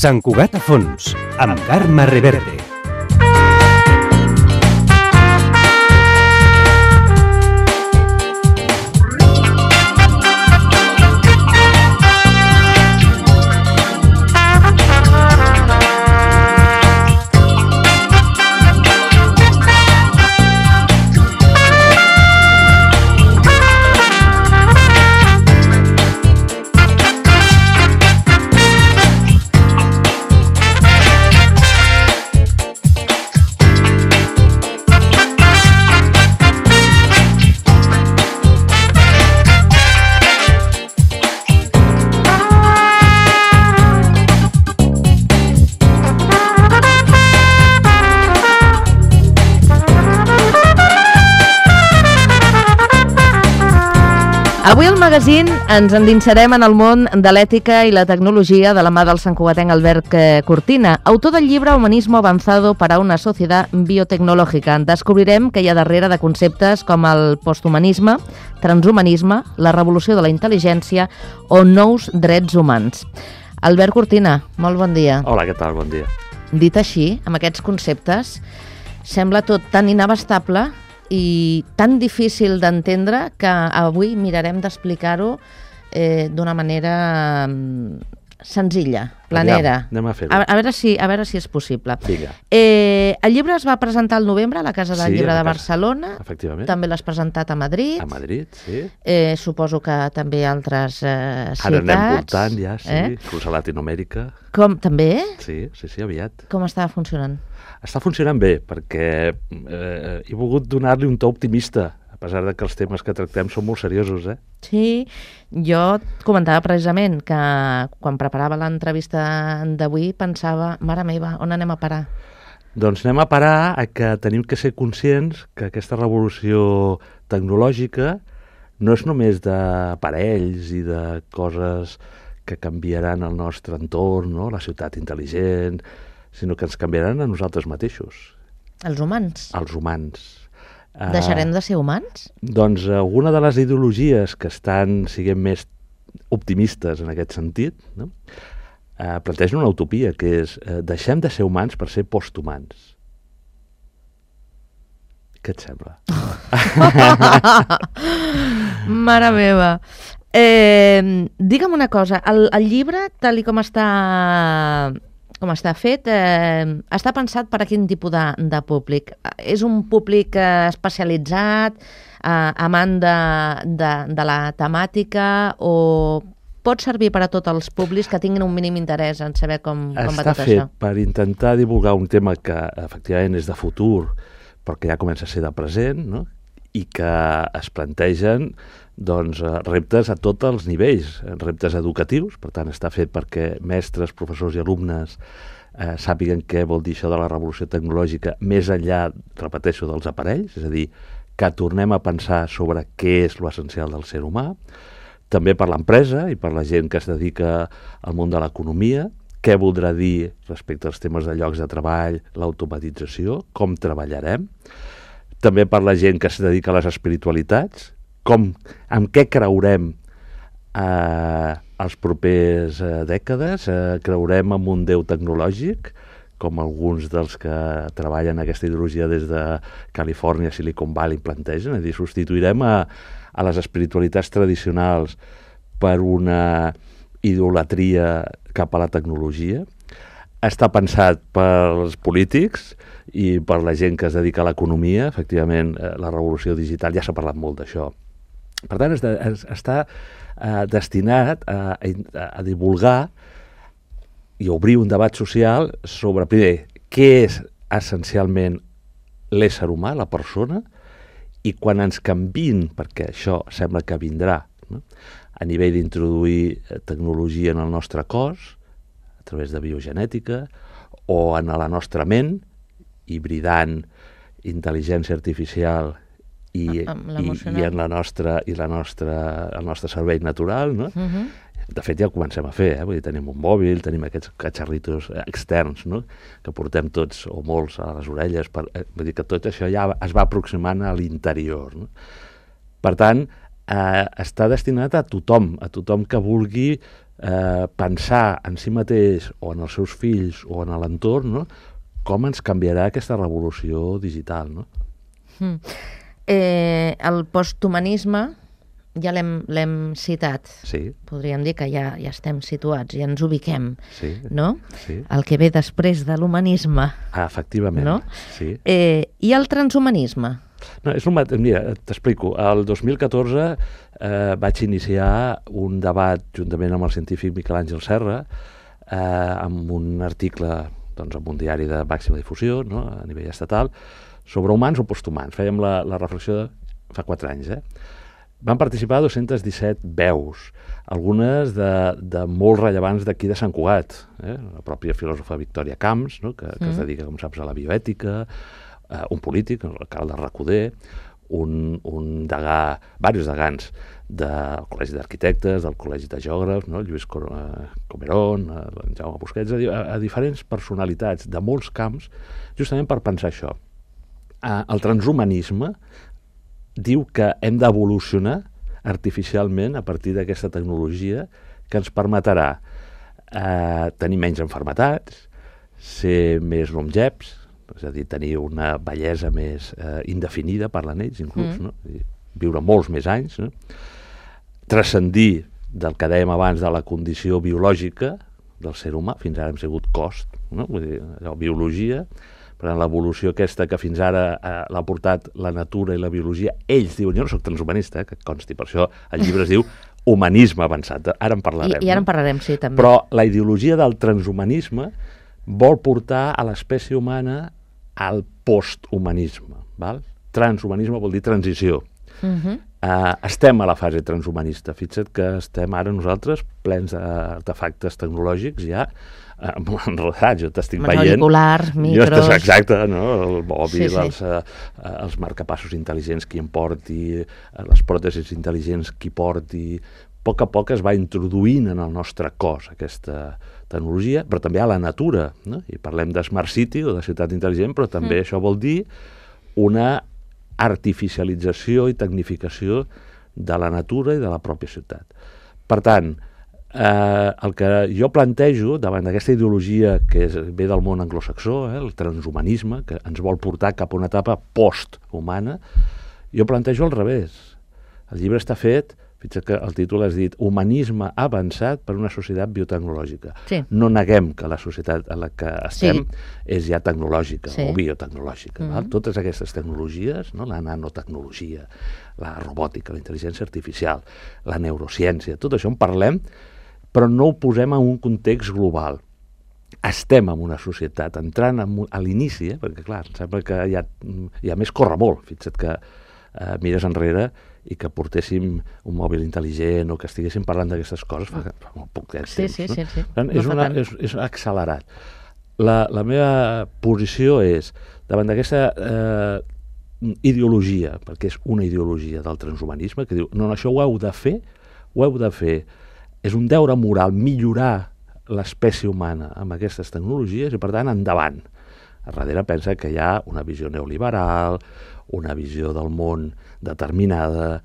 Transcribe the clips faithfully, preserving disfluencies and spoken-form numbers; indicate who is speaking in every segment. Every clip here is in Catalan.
Speaker 1: Sant Cugat a fons, amb Carme Reverte.
Speaker 2: Avui al magazín ens endinsarem en el món de l'ètica i la tecnologia de la mà del santcugatenc Albert Cortina, autor del llibre Humanismo avanzado para una sociedad biotecnológica. Descobrirem que hi ha darrere de conceptes com el posthumanisme, transhumanisme, la revolució de la intel·ligència o nous drets humans. Albert Cortina, molt bon dia.
Speaker 3: Hola, què tal? Bon dia.
Speaker 2: Dit així, amb aquests conceptes, sembla tot tan inabastable i tan difícil d'entendre que avui mirarem d'explicar-ho eh, d'una manera senzilla, planera.
Speaker 3: Aviam, anem a fer-ho.
Speaker 2: A, a, veure si, a veure si és possible.
Speaker 3: Vinga.
Speaker 2: Eh, el llibre es va presentar al novembre a la Casa del
Speaker 3: Sí,
Speaker 2: Llibre
Speaker 3: a la
Speaker 2: de
Speaker 3: casa.
Speaker 2: Barcelona.
Speaker 3: Efectivament.
Speaker 2: També l'has presentat a Madrid.
Speaker 3: A Madrid, sí.
Speaker 2: Eh, suposo que també a altres eh, ciutats.
Speaker 3: Ara anem voltant ja, sí.
Speaker 2: Eh?
Speaker 3: Inclús a Latinoamèrica.
Speaker 2: Com, també?
Speaker 3: Sí, sí, sí, aviat.
Speaker 2: Com està funcionant?
Speaker 3: Està funcionant bé, perquè eh, he volgut donar-li un to optimista, a pesar de que els temes que tractem són molt seriosos, eh?
Speaker 2: Sí, jo et comentava precisament que quan preparava l'entrevista d'avui pensava, mare meva, on anem a parar?
Speaker 3: Doncs anem a parar a que tenim que ser conscients que aquesta revolució tecnològica no és només d'aparells i de coses que canviaran el nostre entorn, no? La ciutat intel·ligent, sinó que ens canviaran a nosaltres mateixos.
Speaker 2: Els humans?
Speaker 3: Els humans.
Speaker 2: Deixarem de ser humans?
Speaker 3: Doncs alguna de les ideologies que estan, siguem més optimistes en aquest sentit, no? eh, plantegen una utopia, que és eh, deixem de ser humans per ser posthumans. Què et sembla?
Speaker 2: Mare meva. Eh, digue'm una cosa, el, el llibre, tal i com està, com està fet, eh, està pensat per a quin tipus de, de públic? És un públic eh, especialitzat, eh, amant de, de, de la temàtica, o pot servir per a tots els públics que tinguin un mínim interès en saber com, com va tot
Speaker 3: això? Està
Speaker 2: això?
Speaker 3: fet per intentar divulgar un tema que efectivament és de futur, però que ja comença a ser de present, no? I que es plantegen doncs, reptes a tots els nivells, reptes educatius, per tant està fet perquè mestres, professors i alumnes eh, sàpiguen què vol dir això de la revolució tecnològica més enllà, repeteixo, dels aparells, és a dir, que tornem a pensar sobre què és l'essencial del ser humà, també per l'empresa i per la gent que es dedica al món de l'economia, què voldrà dir respecte als temes de llocs de treball, l'automatització, com treballarem, també per la gent que es dedica a les espiritualitats, com, amb què creurem eh, els propers eh, dècades, eh, creurem en un déu tecnològic, com alguns dels que treballen aquesta ideologia des de Califòrnia, Silicon Valley plantegen, és a dir, substituirem a, a les espiritualitats tradicionals per una idolatria cap a la tecnologia. Està pensat pels polítics i per la gent que es dedica a l'economia. Efectivament, eh, la revolució digital, ja s'ha parlat molt d'això. Per tant, es de, es, està eh, destinat a, a, a divulgar i obrir un debat social sobre, primer, què és essencialment l'ésser humà, la persona, i quan ens canviïn, perquè això sembla que vindrà, no? A nivell d'introduir tecnologia en el nostre cos, a través de biogenètica, o en la nostra ment, hibridant intel·ligència artificial i, i, i en la nostra, i la nostra, el nostre cervell natural, no? Uh-huh. De fet, ja ho comencem a fer, eh? Vull dir, tenim un mòbil, tenim aquests catxarritos externs, no?, que portem tots o molts a les orelles. Per, eh? Vull dir que tot això ja es va aproximant a l'interior, no? Per tant, eh, està destinat a tothom, a tothom que vulgui eh, pensar en si mateix o en els seus fills o en l'entorn, no?, com ens canviarà aquesta revolució digital, no?
Speaker 2: Mm. Eh, el posthumanisme ja l'hem citat.
Speaker 3: Sí.
Speaker 2: Podríem dir que ja, ja estem situats, ja ens ubiquem,
Speaker 3: sí.
Speaker 2: no?
Speaker 3: Sí.
Speaker 2: El que ve després de l'humanisme.
Speaker 3: Ah, efectivament.
Speaker 2: No?
Speaker 3: Sí.
Speaker 2: Eh, I el transhumanisme?
Speaker 3: No, és un mat... Mira, t'explico. El dos mil catorze eh, vaig iniciar un debat juntament amb el científic Miquel Àngel Serra eh, amb un article, doncs, en un diari de màxima difusió, no?, a nivell estatal, sobre humans o posthumans. Fèiem la, la reflexió de fa quatre anys, eh? Van participar dos-centes disset veus, algunes de, de molt rellevants d'aquí de Sant Cugat, eh? La pròpia filòsofa Victòria Camps, no?, que, que mm. es dedica, com saps, a la bioètica, eh, un polític, el Carles de Recoder, un, un degà, diversos degans del Col·legi d'Arquitectes, del Col·legi de Geògrafs, no?, Lluís Comerón, en Jaume Busquets, a, a diferents personalitats de molts camps, justament per pensar això. Eh, el transhumanisme diu que hem d'evolucionar artificialment a partir d'aquesta tecnologia que ens permetrà eh, tenir menys enfermetats, ser més longeps, és a dir, tenir una bellesa més eh, indefinida, parlant ells inclús, mm. no? Viure molts més anys, no? Transcendir del que dèiem abans de la condició biològica del ser humà, fins ara hem sigut cost, no? Vull dir, allò, biologia. Per tant, l'evolució aquesta que fins ara eh, l'ha portat la natura i la biologia, ells diuen, jo no soc transhumanista, eh, que consti, per això el llibre es diu Humanisme avançat, ara en parlarem.
Speaker 2: I, i ara en parlarem, sí, també.
Speaker 3: Però la ideologia del transhumanisme vol portar a l'espècie humana al posthumanisme, val? Transhumanisme vol dir transició. Uh-huh. Uh, estem a la fase transhumanista, fixa't que estem ara nosaltres plens d'artefactes tecnològics ja enredats, jo t'estic veient...
Speaker 2: auriculars, micros...
Speaker 3: Exacte, no? El mòbil, sí, sí. Els, uh, els marcapassos intel·ligents qui en porti, uh, les pròtesis intel·ligents qui porti... A poc a poc es va introduint en el nostre cos aquesta tecnologia, però també a la natura, no? I parlem de Smart City o de ciutat intel·ligent, però també mm. això vol dir una artificialització i tecnificació de la natura i de la pròpia ciutat. Per tant, eh, el que jo plantejo davant d'aquesta ideologia que és, ve del món anglosaxó, eh, el transhumanisme, que ens vol portar cap a una etapa posthumana, jo plantejo al revés. El llibre està fet, fixa't que el títol has dit Humanisme avançat per una societat biotecnològica. Sí. No neguem que la societat en la que estem sí. és ja tecnològica sí. o biotecnològica. Mm-hmm. Val? Totes aquestes tecnologies, no? La nanotecnologia, la robòtica, la intel·ligència artificial, la neurociència, tot això en parlem, però no ho posem en un context global. Estem en una societat, entrant en, a l'inici, eh? perquè clar, em sembla que ja, ja més corre molt, fixa't que eh, mires enrere i que portéssim un mòbil intel·ligent o que estiguéssim parlant d'aquestes coses fa, fa molt poc temps.
Speaker 2: Sí, sí,
Speaker 3: no?
Speaker 2: sí, sí.
Speaker 3: Tant,
Speaker 2: no
Speaker 3: és, una, és, és accelerat. La, la meva posició és, davant d'aquesta eh, ideologia, perquè és una ideologia del transhumanisme, que diu, no, no, això ho heu de fer, ho heu de fer, és un deure moral millorar l'espècie humana amb aquestes tecnologies i, per tant, endavant. A darrere pensa que hi ha una visió neoliberal, una visió del món determinada,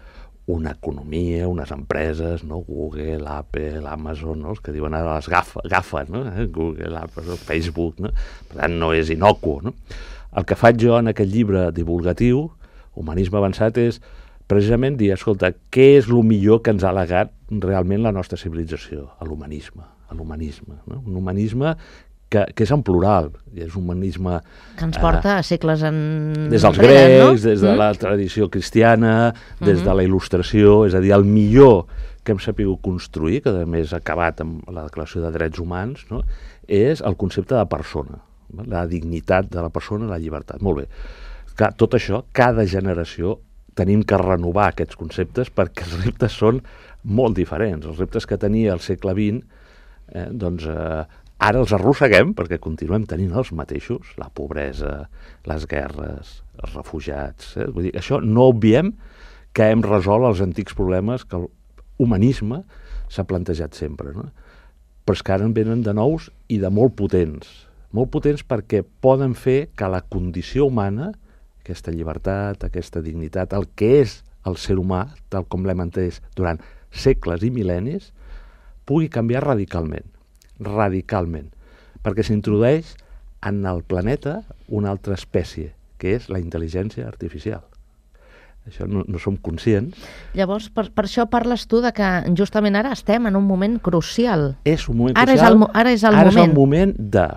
Speaker 3: una economia, unes empreses, no? Google, Apple, Amazon, no? Els que diuen ara les GAFA, GAFA no? Google, Apple, Facebook, no? Per tant, no és inocuo, no? El que faig jo en aquest llibre divulgatiu, Humanisme avançat, és precisament dir, escolta, què és el millor que ens ha legat realment la nostra civilització? L'humanisme, l'humanisme, no? Un humanisme que, que és en plural, és un humanisme...
Speaker 2: Que ens porta eh, a segles en...
Speaker 3: Des dels grecs, no? Des de mm. la tradició cristiana, des mm-hmm. de la il·lustració, és a dir, el millor que hem sapigut construir, que a més ha acabat amb la Declaració de Drets Humans, no? És el concepte de persona, la dignitat de la persona i la llibertat. Molt bé. Clar, tot això, cada generació tenim que renovar aquests conceptes perquè els reptes són molt diferents. Els reptes que tenia al segle vint, eh, doncs... Eh, ara els arrosseguem perquè continuem tenint els mateixos, la pobresa, les guerres, els refugiats. Eh? Vull dir, això no obviem que hem resolt els antics problemes que l'humanisme s'ha plantejat sempre, no? Però és que ara en venen de nous i de molt potents. Molt potents perquè poden fer que la condició humana, aquesta llibertat, aquesta dignitat, el que és el ser humà, tal com l'hem entès durant segles i mil·lennis, pugui canviar radicalment. Radicalment. Perquè s'introdueix en el planeta una altra espècie, que és la intel·ligència artificial. Això no, no som conscients.
Speaker 2: Llavors, per, per això parles tu de que justament ara estem en un moment crucial.
Speaker 3: És un moment
Speaker 2: ara
Speaker 3: crucial.
Speaker 2: És el, ara és el
Speaker 3: ara
Speaker 2: moment.
Speaker 3: és el moment de,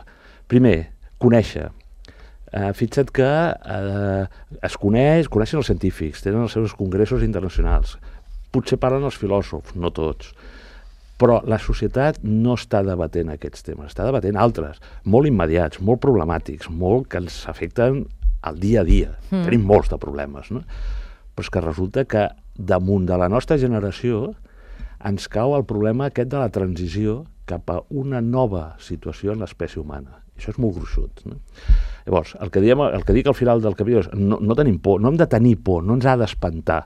Speaker 3: primer, conèixer. Uh, fixa't que uh, es coneix, coneixen els científics, tenen els seus congressos internacionals, potser parlen els filòsofs, no tots, però la societat no està debatent aquests temes, està debatent altres, molt immediats, molt problemàtics, molt que ens afecten al dia a dia. Mm. Tenim molts de problemes, no? Però és que resulta que damunt de la nostra generació ens cau el problema aquest de la transició cap a una nova situació en l'espècie humana. Això és molt gruixut, no? Llavors, el que, diem, el que dic al final del capítol és no, no tenim por, no hem de tenir por, no ens ha d'espantar.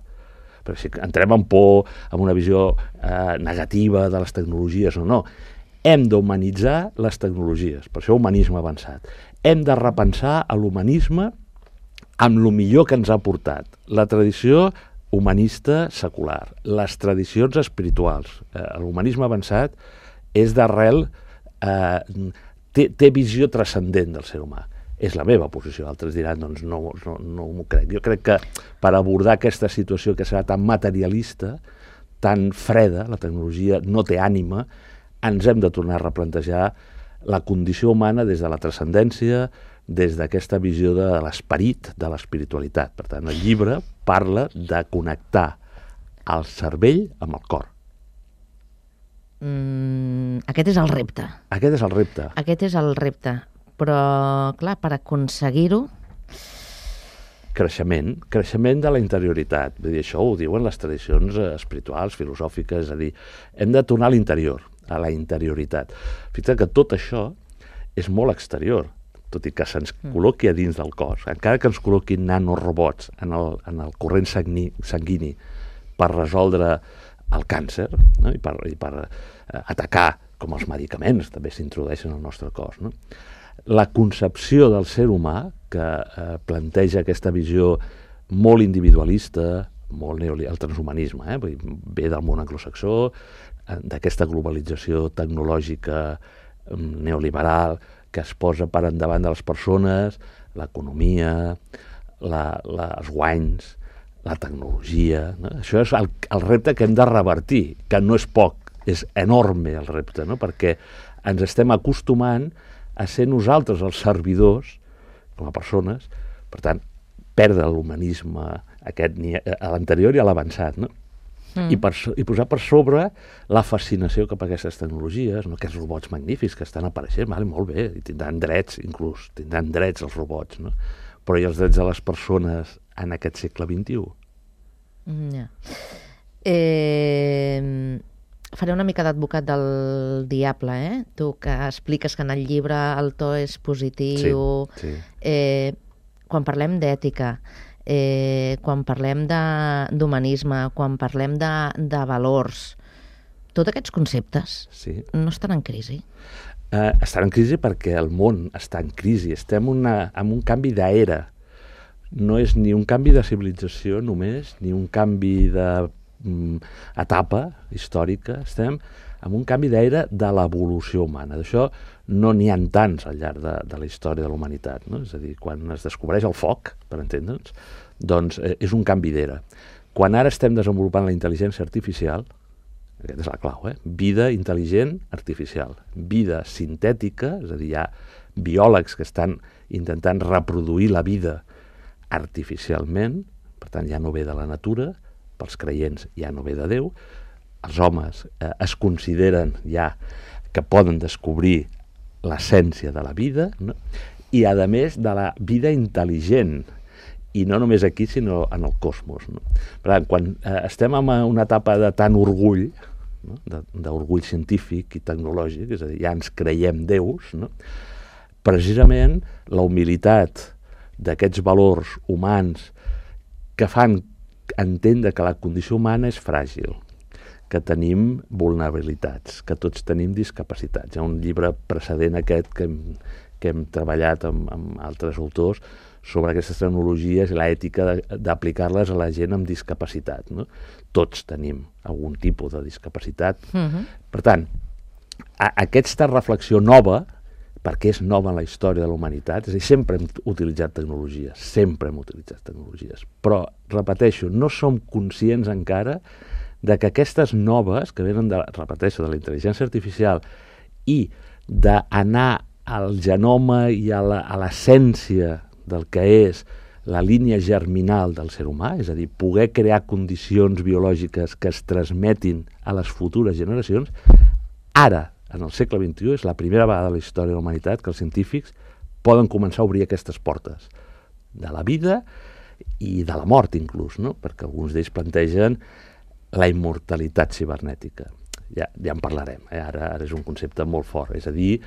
Speaker 3: Perquè si entrem en por, amb una visió eh, negativa de les tecnologies o no, hem d'humanitzar les tecnologies, per això humanisme avançat. Hem de repensar l'humanisme amb el millor que ens ha portat. La tradició humanista secular, les tradicions espirituals. Eh, L'humanisme avançat és d'arrel, eh, té, té visió transcendent del ser humà. És la meva posició, altres diran, doncs no, no, no m'ho crec. Jo crec que per abordar aquesta situació que serà tan materialista, tan freda, la tecnologia no té ànima, ens hem de tornar a replantejar la condició humana des de la transcendència, des d'aquesta visió de l'esperit, de l'espiritualitat. Per tant, el llibre parla de connectar el cervell amb el cor.
Speaker 2: Mm, aquest és el repte.
Speaker 3: Aquest és el repte.
Speaker 2: Aquest és el repte. Però, clar, per aconseguir-ho...
Speaker 3: Creixement, creixement de la interioritat. Vull dir, això ho diuen les tradicions espirituals, filosòfiques, és a dir, hem de tornar a l'interior, a la interioritat. Fixa't que tot això és molt exterior, tot i que se'ns col·loqui a dins del cos, encara que ens col·loquin nanorobots en el, en el corrent sanguini, sanguini per resoldre el càncer, no? I per, i per eh, atacar, com els medicaments també s'introdueixen al nostre cos, no? La concepció del ser humà, que eh, planteja aquesta visió molt individualista, molt neoliberal, el transhumanisme, eh? Vull dir, ve del món anglosaxó, eh, d'aquesta globalització tecnològica eh, neoliberal, que es posa per endavant de les persones, l'economia, la, la, els guanys, la tecnologia, no? Això és el, el repte que hem de revertir, que no és poc, és enorme el repte, no? Perquè ens estem acostumant a ser nosaltres els servidors, com a persones, per tant, perdre l'humanisme aquest, a l'anterior i a l'avançat, no? Mm. I, per, i posar per sobre la fascinació cap a aquestes tecnologies, no? Aquests robots magnífics que estan apareixent, vale, molt bé, i tindran drets, inclús, tindran drets els robots, no? Però i els drets de les persones en aquest segle vint-i-u?
Speaker 2: Mm, yeah. eh, faré una mica d'advocat del diable, eh? Tu que expliques que en el llibre el to és positiu,
Speaker 3: sí, sí.
Speaker 2: Eh, quan parlem d'ètica, Eh, quan parlem d'humanisme, quan parlem de, de valors, tots aquests conceptes
Speaker 3: sí.
Speaker 2: no estan en crisi?
Speaker 3: Eh, estan en crisi perquè el món està en crisi. Estem una, en un canvi d'era. No és ni un canvi de civilització només, ni un canvi d'etapa mm, històrica. Estem en un canvi d'era de l'evolució humana. D'això no n'hi ha tants al llarg de, de la història de la humanitat, no? És a dir, quan es descobreix el foc, per entendre'ns, doncs eh, és un canvi d'era. Quan ara estem desenvolupant la intel·ligència artificial, aquesta és la clau, eh? Vida intel·ligent artificial, vida sintètica, és a dir, hi ha biòlegs que estan intentant reproduir la vida artificialment, per tant ja no ve de la natura, pels creients ja no ve de Déu, els homes eh, es consideren ja que poden descobrir l'essència de la vida, no? I a més de la vida intel·ligent, i no només aquí sinó en el cosmos, no? Per tant, quan eh, estem en una etapa de tant orgull, no? d'orgull científic i tecnològic, és a dir, ja ens creiem déus, no? Precisament la humilitat d'aquests valors humans que fan entendre que la condició humana és fràgil, que tenim vulnerabilitats, que tots tenim discapacitats. Hi ha un llibre precedent aquest que hem, que hem treballat amb, amb altres autors sobre aquestes tecnologies i l'ètica d'aplicar-les a la gent amb discapacitat, no? Tots tenim algun tipus de discapacitat.
Speaker 2: Uh-huh.
Speaker 3: Per tant, a, aquesta reflexió nova, perquè és nova en la història de la humanitat, és a dir, sempre hem utilitzat tecnologies, sempre hem utilitzat tecnologies, però, repeteixo, no som conscients encara de que aquestes noves, que venen, de, repeteixo, de la intel·ligència artificial i d'anar al genoma i a l'essència del que és la línia germinal del ser humà, és a dir, poder crear condicions biològiques que es transmetin a les futures generacions, ara, en el segle vint-i-u, és la primera vegada a la història de la humanitat que els científics poden començar a obrir aquestes portes de la vida i de la mort, inclús, no? Perquè alguns d'ells plantegen la immortalitat cibernètica. Ja, ja en parlarem, eh? ara, ara és un concepte molt fort, és a dir,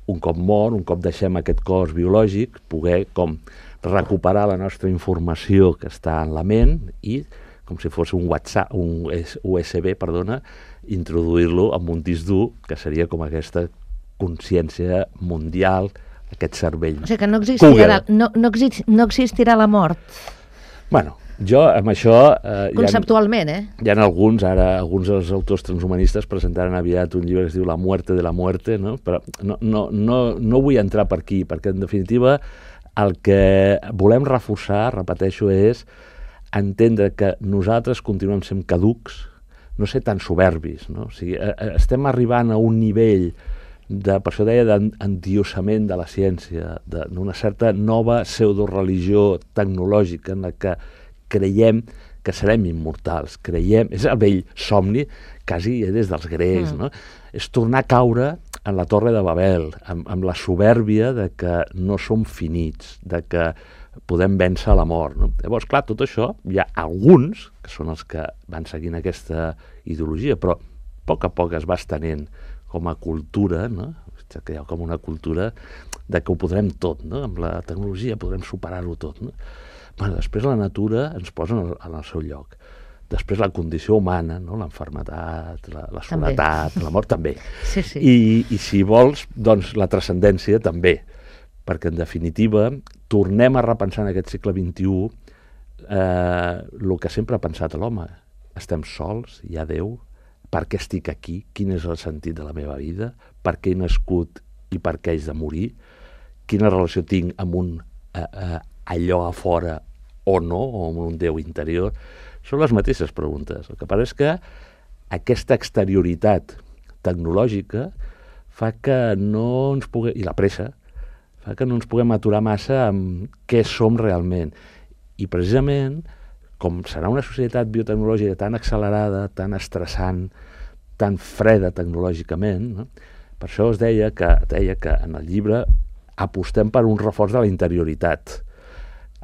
Speaker 3: un cop mort, un cop deixem aquest cos biològic, poder com recuperar la nostra informació que està en la ment i, com si fos un WhatsApp, un U S B, perdona, introduir-lo en un disc dur, que seria com aquesta consciència mundial, aquest cervell.
Speaker 2: O sigui que no existirà, no, no, exist, no existirà la mort.
Speaker 3: Bueno, jo amb això... Eh,
Speaker 2: conceptualment,
Speaker 3: hi ha,
Speaker 2: eh?
Speaker 3: Hi ha alguns, ara, alguns dels autors transhumanistes presentaran aviat un llibre que es diu La muerte de la muerte, no? Però no, no, no, no vull entrar per aquí, perquè en definitiva el que volem reforçar, repeteixo, és entendre que nosaltres continuem sent caducs, no ser tan soberbis, no? O sigui, estem arribant a un nivell de, per això deia, d'endiossament de la ciència, d'una certa nova pseudoreligió tecnològica en la que creiem que serem immortals, creiem, és el vell somni, quasi des dels grecs, mm. no? És tornar a caure en la Torre de Babel, amb, amb la soberbia de que no som finits, de que podem vèncer la mort, no? Llavors, clar, tot això, hi ha alguns, que són els que van seguint aquesta ideologia, però a poc a poc es va estenent com a cultura, no? Que hi ha com una cultura de que ho podrem tot, no? Amb la tecnologia podrem superar-ho tot, no? Bueno, després la natura ens posa en el, en el seu lloc. Després la condició humana, no? L'enfermetat, la, la soledat, la mort també.
Speaker 2: Sí, sí.
Speaker 3: I, I si vols, doncs la transcendència també. Perquè en definitiva tornem a repensar en aquest segle vint-i-u eh, el que sempre ha pensat l'home. Estem sols, hi ha Déu, per què estic aquí, quin és el sentit de la meva vida, per què he nascut i per què haig de morir, quina relació tinc amb un eh, eh, allò a fora o no, o amb un Déu interior. Són les mateixes preguntes. El que passa és que aquesta exterioritat tecnològica fa que no ens puguem, i la pressa, fa que no ens puguem aturar massa amb què som realment. I precisament, com serà una societat biotecnològica tan accelerada, tan estressant, tan freda tecnològicament, no? Per això es deia que, deia que en el llibre apostem per un reforç de la interioritat.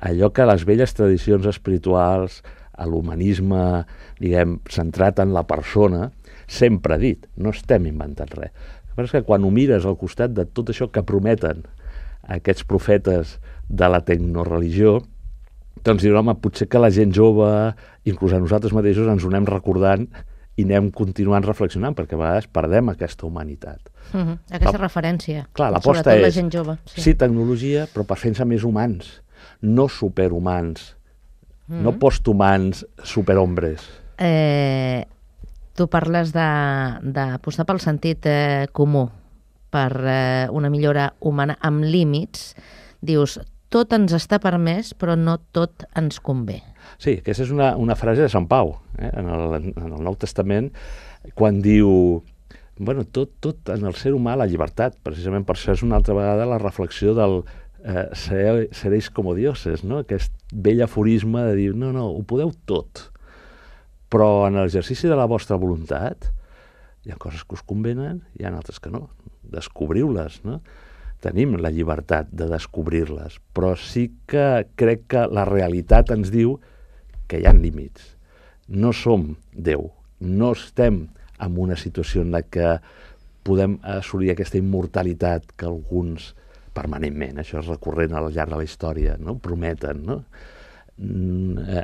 Speaker 3: Allò que les velles tradicions espirituals, a l'humanisme, diguem, centrat en la persona, sempre ha dit, no estem inventant res. Però és que quan ho mires al costat de tot això que prometen aquests profetes de la tecnoreligió, doncs diuen, home, potser que la gent jove, inclús a nosaltres mateixos, ens ho anem recordant i anem continuant reflexionant, perquè a vegades perdem aquesta humanitat.
Speaker 2: Uh -huh. Aquesta
Speaker 3: la,
Speaker 2: referència.
Speaker 3: Clar, l'aposta és,
Speaker 2: la gent jove. Sí.
Speaker 3: sí, tecnologia, però per fer-nos més humans, no superhumans, uh -huh. no posthumans superhombres.
Speaker 2: Eh, tu parles d'apostar pel sentit eh, comú, per eh, una millora humana amb límits. Dius, tot ens està permès, però no tot ens convé.
Speaker 3: Sí, aquesta és una, una frase de Sant Pau, eh? en, el, en el Nou Testament, quan diu, bueno, tot, tot en el ser humà la llibertat, precisament per això és una altra vegada la reflexió del eh, ser, seréis como dioses, no? Aquest vell aforisme de dir, no, no, ho podeu tot, però en l'exercici de la vostra voluntat hi ha coses que us convenen i hi ha altres que no. Descobriu-les, no? Tenim la llibertat de descobrir-les, però sí que crec que la realitat ens diu que hi ha límits. No som Déu, no estem en una situació en la que podem assolir aquesta immortalitat que alguns permanentment, això és recurrent al llarg de la història, no? Prometen, no?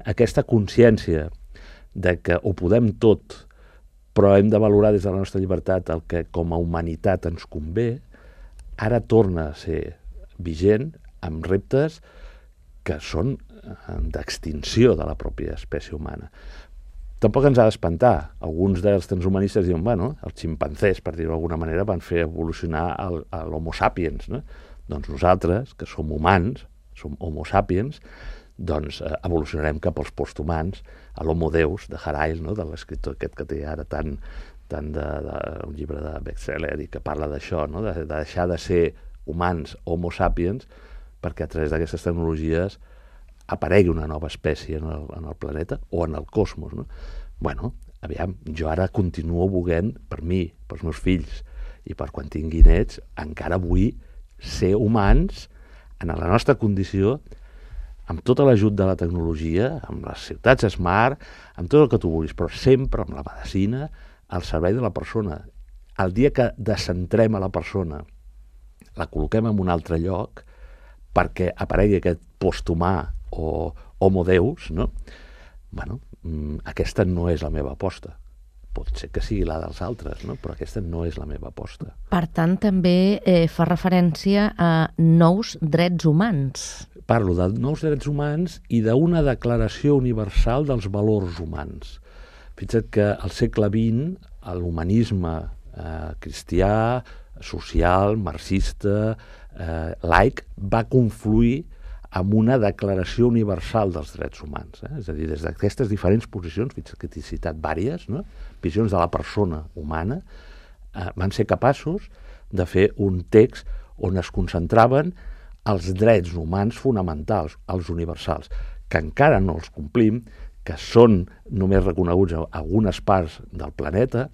Speaker 3: Aquesta consciència de que ho podem tot però hem de valorar des de la nostra llibertat el que com a humanitat ens convé, ara torna a ser vigent amb reptes que són d'extinció de la pròpia espècie humana. Tampoc ens ha d'espantar. Alguns dels transhumanistes diuen, bueno, els ximpanzés, per dir-ho d'alguna manera, van fer evolucionar el, l'homo sapiens, no? Doncs nosaltres, que som humans, som homo sapiens, doncs eh, evolucionarem cap als posthumans, a l'homo deus de Harail, no? De l'escriptor aquest que té ara tant, tant de, de, un llibre de bestseller i que parla d'això, no? de, de deixar de ser humans, homo sapiens, perquè a través d'aquestes tecnologies aparegui una nova espècie en el, en el planeta o en el cosmos, no? Bueno, aviam, jo ara continuo volent, per mi, pels meus fills, i per quan tingui nets, encara vull ser humans en la nostra condició, amb tot l'ajut de la tecnologia, amb les ciutats smart, amb tot el que tu vulguis, però sempre amb la medicina al servei de la persona. El dia que descentrem a la persona, la col·loquem en un altre lloc, perquè aparegui aquest posthumà o homo deus, no? Bueno, aquesta no és la meva aposta. Pot ser que sigui la dels altres, no? Però aquesta no és la meva aposta.
Speaker 2: Per tant, també eh, fa referència a nous drets humans.
Speaker 3: Parlo de nous drets humans i d'una declaració universal dels valors humans. Fixa't que al segle vint l'humanisme eh, cristià, social, marxista, eh, laic, va confluir amb una declaració universal dels drets humans. Eh? És a dir, des d'aquestes diferents posicions, fins que t'he citat vàries, no? Visions de la persona humana, eh, van ser capaços de fer un text on es concentraven els drets humans fonamentals, els universals, que encara no els complim, que són només reconeguts a algunes parts del planeta,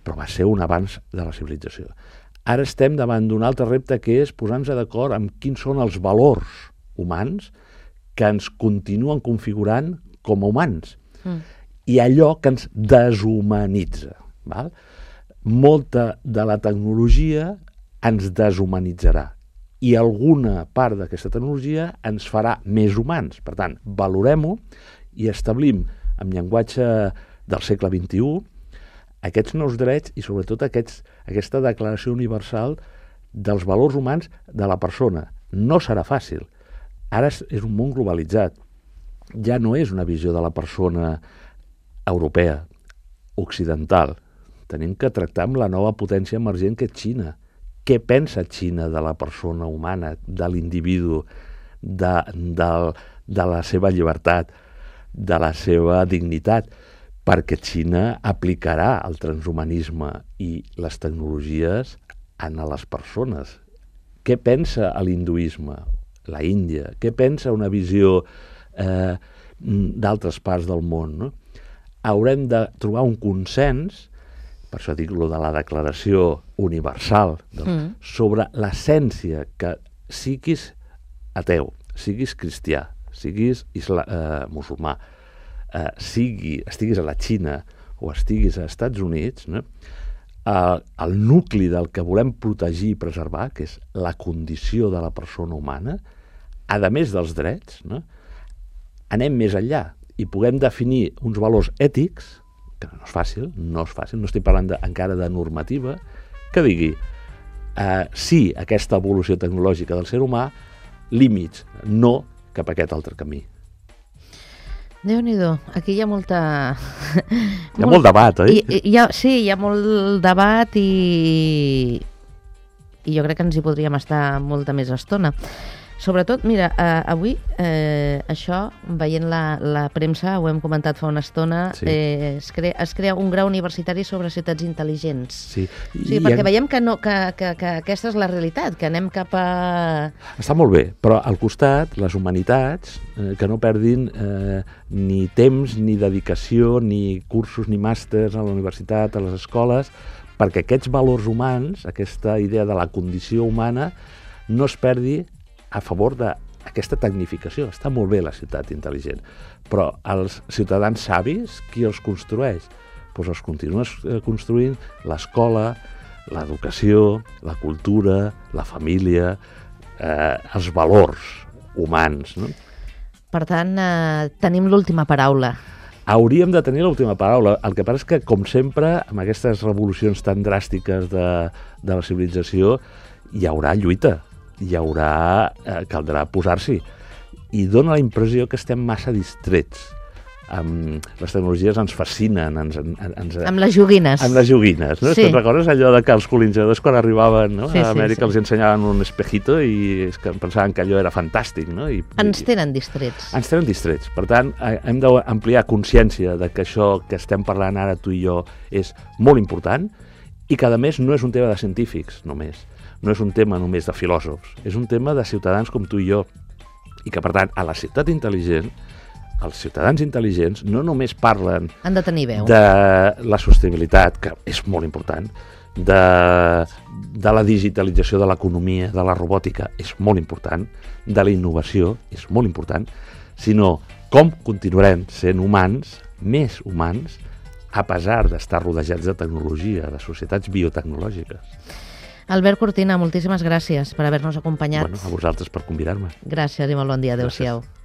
Speaker 3: però va ser un avanç de la civilització. Ara estem davant d'un altre repte, que és posar-nos d'acord amb quins són els valors humans que ens continuen configurant com a humans. Mm. I allò que ens deshumanitza. Val? Molta de la tecnologia ens deshumanitzarà i alguna part d'aquesta tecnologia ens farà més humans. Per tant, valorem-ho i establim amb llenguatge del segle vint-i-u aquests nous drets i sobretot aquests, aquesta declaració universal dels valors humans de la persona. No serà fàcil. Ara és un món globalitzat. Ja no és una visió de la persona europea, occidental. Tenim que tractar amb la nova potència emergent que és Xina. Què pensa Xina de la persona humana, de l'individu, de, de, de la seva llibertat, de la seva dignitat? Perquè Xina aplicarà el transhumanisme i les tecnologies en les persones. Què pensa l'hinduisme, la Índia? Què pensa una visió eh, d'altres parts del món? No? Haurem de trobar un consens, per això dic lo de la declaració universal, no? mm. sobre l'essència que siguis ateu, siguis cristià, siguis isla, eh, musulmà, eh, sigui, estiguis a la Xina o estiguis als Estats Units, no? el, el nucli del que volem protegir i preservar, que és la condició de la persona humana, a més dels drets, no? Anem més enllà i puguem definir uns valors ètics, que no és fàcil, no és fàcil, no estic parlant de, encara de normativa, que digui eh, sí a aquesta evolució tecnològica del ser humà, límits, no cap a aquest altre camí.
Speaker 2: Déu-n'hi-do, aquí hi ha molta...
Speaker 3: Hi ha molt, molt debat, oi?
Speaker 2: I, hi ha, sí, hi ha molt debat i... i jo crec que ens hi podríem estar molta més estona. Sobretot, mira, eh, avui eh, això, veient la, la premsa, ho hem comentat fa una estona, sí. eh, es, crea, es crea un grau universitari sobre ciutats intel·ligents.
Speaker 3: Sí.
Speaker 2: I, sí, perquè en... veiem que, no, que, que, que aquesta és la realitat, que anem cap a...
Speaker 3: Està molt bé, però al costat, les humanitats, eh, que no perdin eh, ni temps, ni dedicació, ni cursos, ni màsters a la universitat, a les escoles, perquè aquests valors humans, aquesta idea de la condició humana, no es perdi a favor d'aquesta tecnificació. Està molt bé la ciutat intel·ligent, però els ciutadans savis, qui els construeix? Doncs els continues construint l'escola, l'educació, la cultura, la família, eh, els valors humans. No?
Speaker 2: Per tant, eh, tenim l'última paraula.
Speaker 3: hauríem de tenir l'última paraula. El que passa és que, com sempre, amb aquestes revolucions tan dràstiques de, de la civilització, hi haurà lluita, hi haurà... Eh, caldrà posar-s'hi. I dona la impressió que estem massa distrets. Um, les tecnologies ens fascinen. Ens, ens,
Speaker 2: amb les joguines.
Speaker 3: Amb les joguines, no?
Speaker 2: Sí.
Speaker 3: Te'n recordes allò de que els colonitzadors, quan arribaven, no?
Speaker 2: Sí,
Speaker 3: a Amèrica,
Speaker 2: sí, sí.
Speaker 3: els ensenyaven un espejito i és que pensaven que allò era fantàstic, no? I,
Speaker 2: Ens
Speaker 3: i,
Speaker 2: tenen distrets.
Speaker 3: Ens tenen distrets. Per tant, hem d'ampliar consciència de que això que estem parlant ara tu i jo és molt important i que, a més, no és un tema de científics només. No és un tema només de filòsofs. És un tema de ciutadans com tu i jo. I que, per tant, a la ciutat intel·ligent, els ciutadans intel·ligents no només parlen
Speaker 2: Han de tenir veu.
Speaker 3: de la sostenibilitat, que és molt important, de, de la digitalització de l'economia, de la robòtica, és molt important, de la innovació, és molt important, sinó com continuarem sent humans, més humans, a pesar d'estar rodejats de tecnologia, de societats biotecnològiques.
Speaker 2: Albert Cortina, moltíssimes gràcies per haver-nos acompanyat.
Speaker 3: Bueno, a vosaltres per convidar-me.
Speaker 2: Gràcies i molt bon dia. Adéu-siau.
Speaker 3: Gràcies.